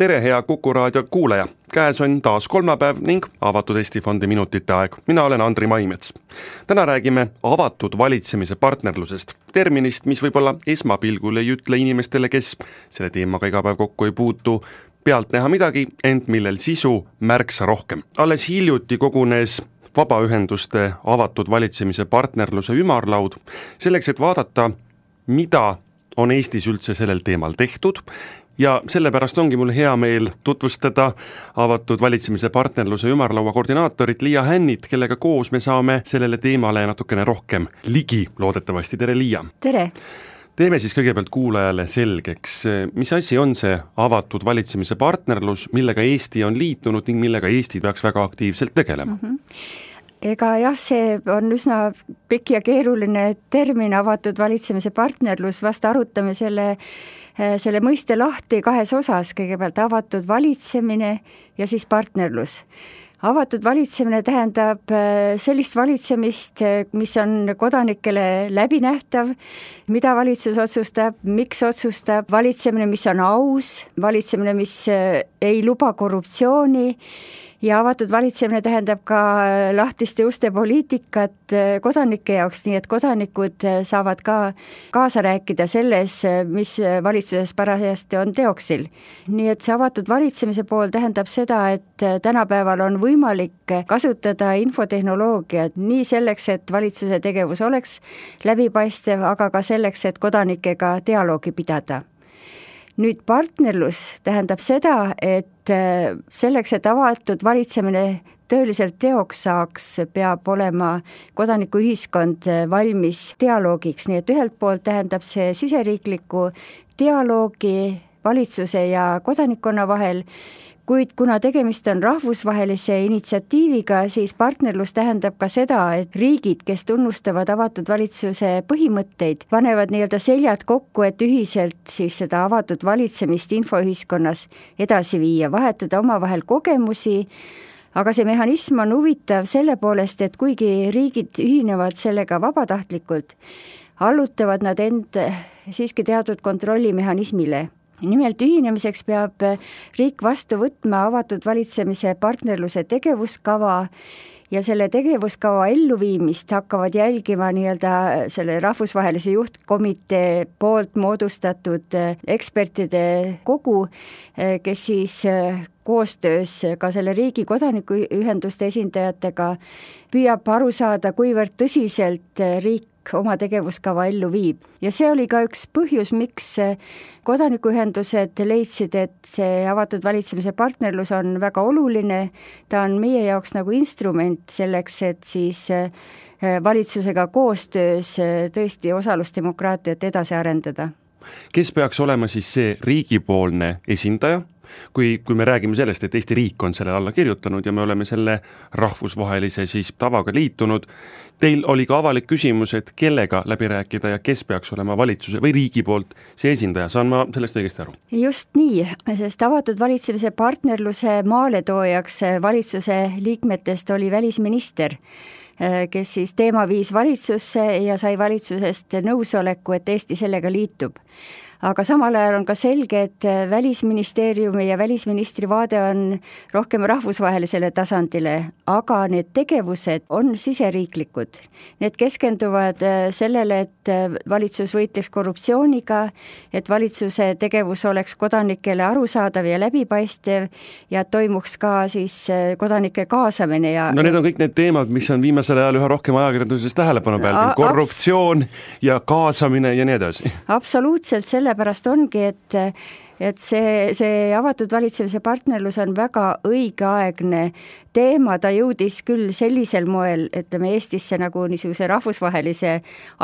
Tere, hea Kuku raadio kuulaja! Käes on taas kolmapäev ning Avatud Eesti Fondi minutite aeg. Mina olen Andri Maimets. Täna räägime avatud valitsemise partnerlusest. Terminist, mis võib-olla esmapilgul ei ütle inimestele, kes selle teemaga iga päev kokku ei puutu, pealt näha midagi, ent millel sisu märksa rohkem. Alles hiljuti kogunes vabaühenduste avatud valitsemise partnerluse ümarlaud selleks, et vaadata, mida on Eestis üldse sellel teemal tehtud, ja sellepärast ongi mul hea meel tutvustada avatud valitsemise partnerluse ümarlaua koordinaatorit Liia Hännit, kellega koos me saame sellele teemale natukene rohkem ligi, loodetavasti. Tere, Liia! Tere! Teeme siis kõigepealt kuulajale selgeks, mis asi on see avatud valitsemise partnerlus, millega Eesti on liitunud ning millega Eesti peaks väga aktiivselt tegelema? Ega jah, see on üsna pikk ja keeruline termin, avatud valitsemise partnerlus, vast arutame selle mõiste lahti kahes osas, kõigepealt avatud valitsemine ja siis partnerlus. Avatud valitsemine tähendab sellist valitsemist, mis on kodanikele läbinähtav, mida valitsus otsustab, miks otsustab, valitsemine, mis on aus, valitsemine, mis ei luba korruptsiooni, ja avatud valitsemine tähendab ka lahtiste uste poliitikat kodanike jaoks, nii et kodanikud saavad ka kaasa rääkida selles, mis valitsuses parajasti on teoksil. Nii et see avatud valitsemise pool tähendab seda, et tänapäeval on võimalik kasutada infotehnoloogiat nii selleks, et valitsuse tegevus oleks läbipaistev, aga ka selleks, et kodanikega dialoogi pidada. Nüüd partnerlus tähendab seda, et selleks, et avatud valitsemine tõeliselt teoks saaks, peab olema kodanikuühiskond valmis dialoogiks, nii et ühelt poolt tähendab see siseriikliku dialoogi valitsuse ja kodanikkonna vahel, kuid kuna tegemist on rahvusvahelise initsiatiiviga, siis partnerlus tähendab ka seda, et riigid, kes tunnustavad avatud valitsuse põhimõtteid, panevad nii-öelda seljad kokku, et ühiselt siis seda avatud valitsemist infoühiskonnas edasi viia, vahetada omavahel kogemusi, aga see mehhanism on huvitav selle poolest, et kuigi riigid ühinevad sellega vabatahtlikult, allutavad nad end siiski teatud kontrollimehhanismile. Nimelt ühinemiseks peab riik vastu võtma avatud valitsemise partnerluse tegevuskava ja selle tegevuskava elluviimist hakkavad jälgima nii-öelda selle rahvusvahelise juhtkomitee poolt moodustatud ekspertide kogu, kes siis koostöös ka selle riigi kodanikuühenduste esindajatega püüab aru saada, kuivõrd tõsiselt riik oma tegevuskava ellu viib. Ja see oli ka üks põhjus, miks kodanikuühendused leidsid, et see avatud valitsemise partnerlus on väga oluline. Ta on meie jaoks nagu instrument selleks, et siis valitsusega koostöös tõesti osalusdemokraatiat edasi arendada. Kes peaks olema siis see riigipoolne esindaja? Kui me räägime sellest, et Eesti riik on selle alla kirjutanud ja me oleme selle rahvusvahelise siis tavaga liitunud, teil oli ka avalik küsimus, et kellega läbi rääkida ja kes peaks olema valitsuse või riigi poolt see esindaja, saan ma sellest õigesti aru? Just nii, sest avatud valitsemise partnerluse maaletoojaks valitsuse liikmetest oli välisminister, kes siis teema viis valitsusse ja sai valitsusest nõusoleku, et Eesti sellega liitub. Aga samal ajal on ka selge, et välisministeeriumi ja välisministri vaade on rohkem rahvusvahelisele tasandile, aga need tegevused on siseriiklikud. Need keskenduvad sellele, et valitsus võitleks korruptsiooniga, et valitsuse tegevus oleks kodanikele arusaadav ja läbipaistev ja toimuks ka siis kodanike kaasamine. No need on kõik need teemad, mis on viimasel ajal üha rohkem ajakirjanduses tähelepanu peal, korruptsioon ja kaasamine ja nii edasi. Absoluutselt, sellepärast ongi, et see avatud valitsemise partnerlus on väga õigeaegne teema, ta jõudis küll sellisel moel, ütleme Eestisse nagu niisuguse rahvusvahelise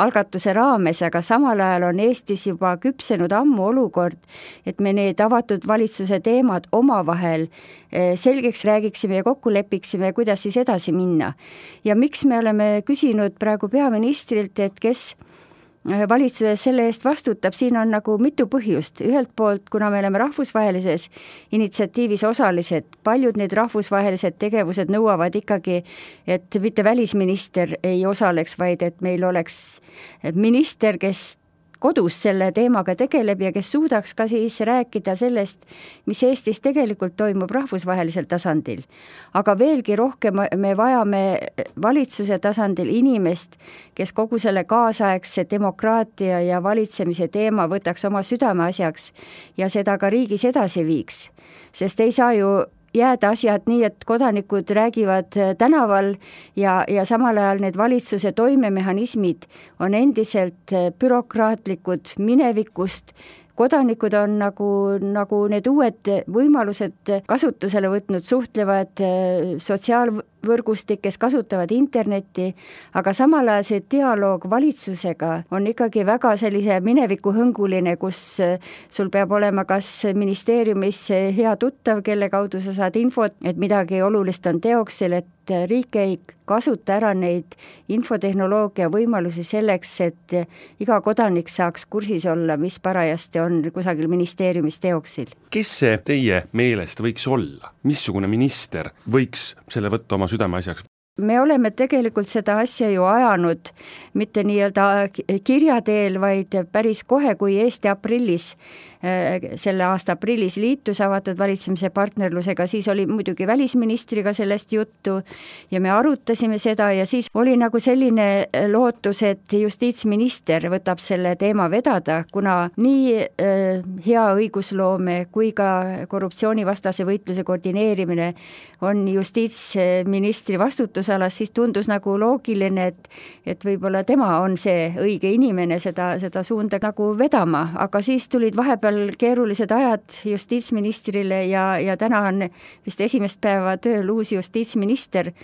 algatuse raames, aga samal ajal on Eestis juba küpsenud ammu olukord, et me need avatud valitsuse teemad omavahel selgeks räägiksime ja kokku lepiksime, kuidas siis edasi minna. Ja miks me oleme küsinud praegu peaministrilt, et kes valitsuses selle eest vastutab, siin on nagu mitu põhjust. Ühelt poolt, kuna me oleme rahvusvahelises initsiatiivis osalised, paljud need rahvusvahelised tegevused nõuavad ikkagi, et mitte välisminister ei osaleks, vaid et meil oleks minister, kes kodus selle teemaga tegeleb ja kes suudaks ka siis rääkida sellest, mis Eestis tegelikult toimub rahvusvahelisel tasandil. Aga veelgi rohkem me vajame valitsuse tasandil inimest, kes kogu selle kaasaegse demokraatia ja valitsemise teema võtaks oma südameasjaks ja seda ka riigis edasi viiks. Sest ei saa ju jääda asjad nii, et kodanikud räägivad tänaval ja samal ajal need valitsuse toimemehhanismid on endiselt bürokraatlikud minevikust. Kodanikud on nagu need uued võimalused kasutusele võtnud, suhtlevad sotsiaalvõrgustikes, kasutavad internetti, aga samal ajal see dialoog valitsusega on ikkagi väga sellise minevikuhõnguline, kus sul peab olema kas ministeeriumis hea tuttav, kelle kaudu sa saad infot, et midagi olulist on teoksil, et riik ei kasuta ära neid infotehnoloogia võimalusi selleks, et iga kodanik saaks kursis olla, mis parajasti on kusagil ministeeriumis teoksil. Kes see teie meelest võiks olla? Missugune minister võiks selle võtta oma südameasjaks? Me oleme tegelikult seda asja ju ajanud mitte nii-öelda kirja teel, vaid päris kohe, kui Eesti aprillis, selle aasta aprillis liitus avatud valitsemise partnerlusega, siis oli muidugi välisministriga sellest juttu ja me arutasime seda ja siis oli nagu selline lootus, et justiitsminister võtab selle teema vedada, kuna nii hea õigusloome kui ka korruptsioonivastase võitluse koordineerimine on justiitsministri vastutusalas, siis tundus nagu loogiline, et võib-olla tema on see õige inimene seda suunda nagu vedama, aga siis tulid vahepeal keerulised ajad justiitsministrile ja täna on vist esimest päeva tööl uus justiitsminister.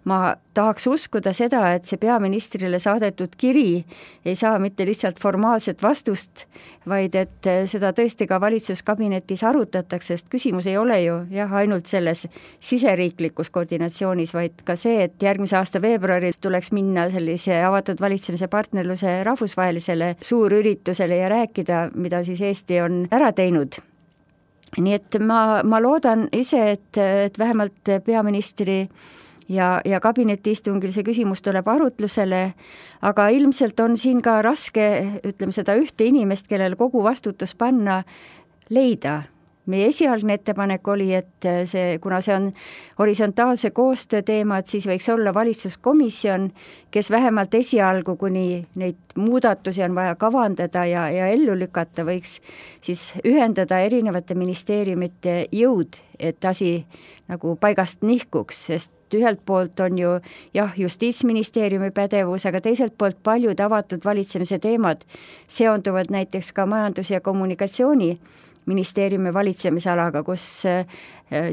Ma tahaks uskuda seda, et see peaministrile saadetud kiri ei saa mitte lihtsalt formaalset vastust, vaid et seda tõesti ka valitsuskabinetis arutatakse, sest küsimus ei ole ju ainult selles siseriiklikus koordinatsioonis, vaid ka see, et järgmise aasta veebruaris tuleks minna sellise avatud valitsemise partnerluse rahvusvahelisele suurüritusele ja rääkida, mida siis Eesti on ära teinud. Nii et ma loodan ise, et vähemalt peaministri ja kabinetiistungil see küsimus tuleb arutlusele, aga ilmselt on siin ka raske, ütleme seda ühte inimest, kellel kogu vastutus panna, leida. Meie esialgne ettepanek oli, et kuna see on horisontaalse koostöö teema, et siis võiks olla valitsuskomisjon, kes vähemalt esialgu, kuni neid muudatusi on vaja kavandada ja ellu lükata, võiks siis ühendada erinevate ministeeriumite jõud, et asi nagu paigast nihkuks, sest ühelt poolt on ju justiitsministeeriumi pädevus, aga teiselt poolt paljud avatud valitsemise teemad seonduvad näiteks ka majandus- ja kommunikatsiooni ministeeriumi valitsemisalaga, kus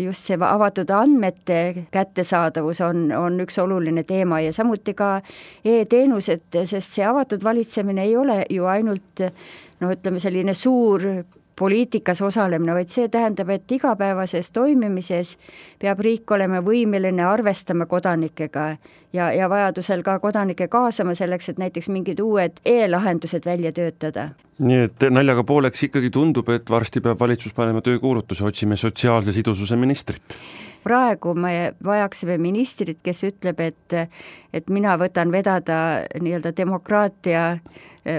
just see avatud andmete kättesaadavus on üks oluline teema ja samuti ka e-teenused, sest see avatud valitsemine ei ole ju ainult ütleme selline suur poliitikas osalemine, vaid see tähendab, et igapäevases toimimises peab riik olema võimeline arvestama kodanikega ja vajadusel ka kodanike kaasama selleks, et näiteks mingid uued e-lahendused välja töötada. Nii et naljaga pooleks ikkagi tundub, et varsti peab valitsus panema töökuulutuse, otsime sotsiaalse sidususe ministrit. Praegu me vajaksime ministrit, kes ütleb, et mina võtan vedada nii-öelda demokraatia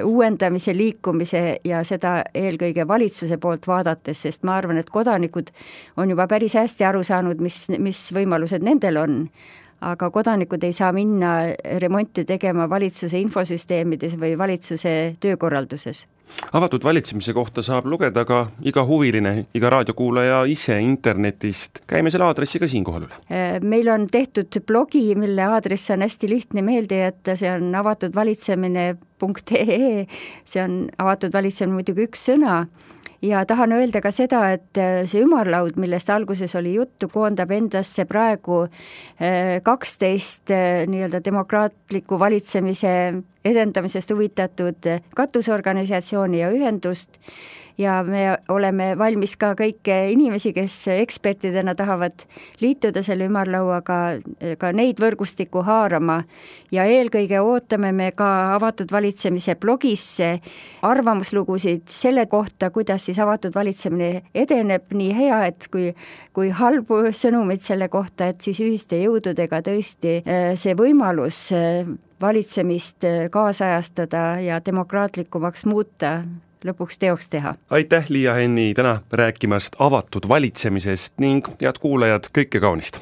uuendamise, liikumise ja seda eelkõige valitsuse poolt vaadates, sest ma arvan, et kodanikud on juba päris hästi aru saanud, mis võimalused nendel on. Aga kodanikud ei saa minna remonti tegema valitsuse infosüsteemides või valitsuse töökorralduses. Avatud valitsemise kohta saab lugeda ka iga huviline, iga raadiokuulaja ise internetist. Käime selle aadressi ka siinkohal üle. Meil on tehtud blogi, mille aadress on hästi lihtne meelde jätta, see on avatudvalitsemine.ee, see on avatud valitsemine muidugi üks sõna. Ja tahan öelda ka seda, et see ümarlaud, millest alguses oli juttu, koondab endasse praegu 12 nii-öelda demokraatliku valitsemise edendamisest huvitatud katusorganisatsiooni ja ühendust ja me oleme valmis ka kõiki inimesi, kes ekspertidena tahavad liituda selle ümarlauaga, ka neid võrgustikku haarama ja eelkõige ootame me ka avatud valitsemise blogisse arvamuslugusid selle kohta, kuidas siis avatud valitsemine edeneb, nii hea, et kui halbu sõnumeid selle kohta, et siis ühiste jõududega tõesti see võimalus valitsemist kaasajastada ja demokraatlikumaks muuta, lõpuks teoks teha. Aitäh, Liia Hänni, täna rääkimast avatud valitsemisest ning head kuulajad, kõike kaunist!